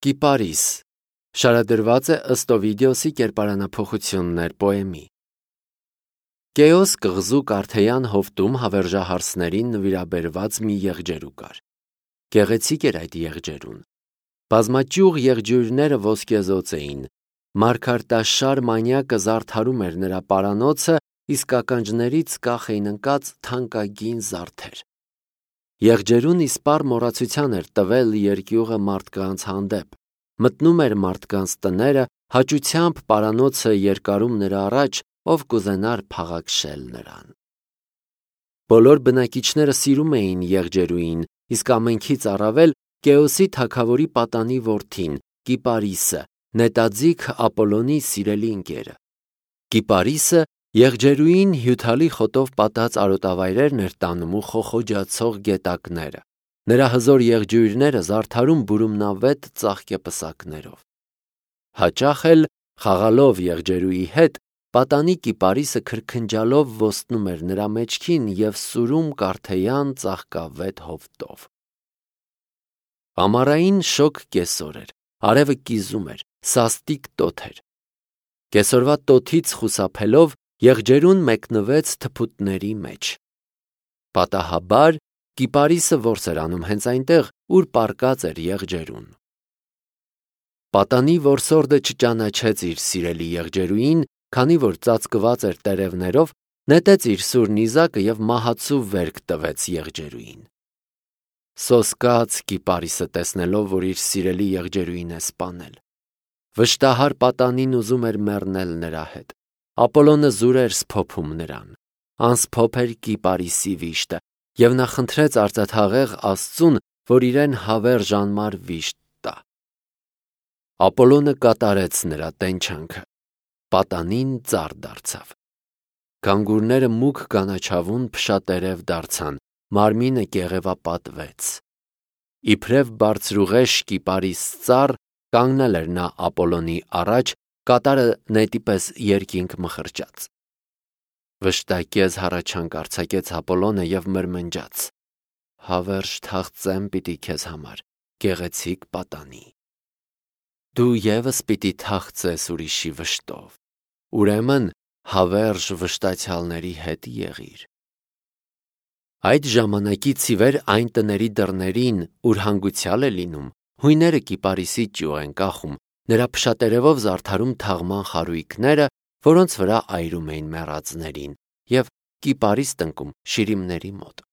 Կիպարիս շարադրված է ըստ Օվիդիոսի կերպարանափոխություններ պոեմի։ Կեոս կղզու Կարթեյան հովտում հավերժահարսներին նվիրաբերված մի եղջերու կար։ Գեղեցիկ էր այդ եղջերուն։ Բազմաճյուղ եղջյուրները ոսկեզոծ էին։ Մարգարտաշար մանյակը զարդարում էր նրա պարանոցը, իսկ ականջներից կախ էին ընկած թանկագին զարդեր։ Եղջերուն իսպառ մոռացության էր տվել երկյուղը մարդկանց հանդեպ, մտնում էր մարդկանց տները, հաճությամբ պարանոցը երկարում նրա առաջ, ով կուզենար փաղաքշել նրան։ Բոլոր բնակիչները սիրում էին եղջերուին, իսկ ամենքից առավել Կեոսի թագավորի պատանի որդին, Կիպարիսը, նետաձիգ Ապոլոնի սիրելի ընկերը։ Կիպարիսը եղջերուին հյութալի խոտով պատած արոտավայրերն էր տանում ու խոխոջացող գետակները։ Նրա հզոր եղջյուրները զարդարում բուրումնավետ ծաղկեպսակներով։ Հաճախ էլ, խաղալով եղջերուի հետ, պատանի Կիպարիսը քրքնջալով ոստնում էր նրա մեջքին և սուրում Կարթեյան ծաղկավետ հովտով։ Ամառային շոգ կեսօր էր, արևը կիզում էր, սաստիկ տոթ էր։ Կեսօրվա տոթից խուսափելով եղջերուն մեկնվեց թփուտների մեջ։ Պատահաբար Կիպարիսը որս էր անում հենց այնտեղ, ուր պառկած էր եղջերուն։ Պատանի որսորդը չճանաչեց իր սիրելի եղջերուին, քանի որ ծածկված էր տերևներով, նետեց իր սուր նիզակը և մահացու վերք տվեց եղջերուին։ Սոսկաց Կիպարիսը տեսնելով, որ իր սիրելի եղջերուին է սպանել։ Վշտահար պատանին ուզում էր մեռնել նրա հետ։ Ապոլոնը զուր էր սփոփում նրան։ Անսփոփ էր Կիպարիսի վիշտը, և նա խնդրեց արծաթաղեղ Աստծուն, որ իրեն հավերժ անմար վիշտ տա։ Ապոլոնը կատարեց նրա տենչանքը։ Պատանին ծառ դարձավ։ Գանգուրները մուգ կանաչավուն փշատերև դարձան, մարմինը կեղևապատվեց։ Իբրև բարձրուղեշ Կիպարիս ծառ կանգնել էր նա Ապոլոնի առաջ, կատարը նետի պես երկինք մխրճած։ Վշտակեզ հառաչանք արձակեց Ապոլոնը և մրմնջաց. «Հավերժ թաղծեմ պիտի քեզ համար, գեղեցիկ պատանի։ Դու ևս պիտի թաղծես ուրիշի վշտով, ուրեմն հավերժ վշտացյալների հետ եղիր»։ Այդ ժամանակից ի վեր այն տների դռներին, ուր հանգուցյալ է լինում, հույները Կիպարիսի ճյուղ են կախում, նրա փշատերևով զարդարում թաղման խարույկները, որոնց վրա այրում էին մեռածներին, և Կիպարիս տնկում շիրիմների մոտ։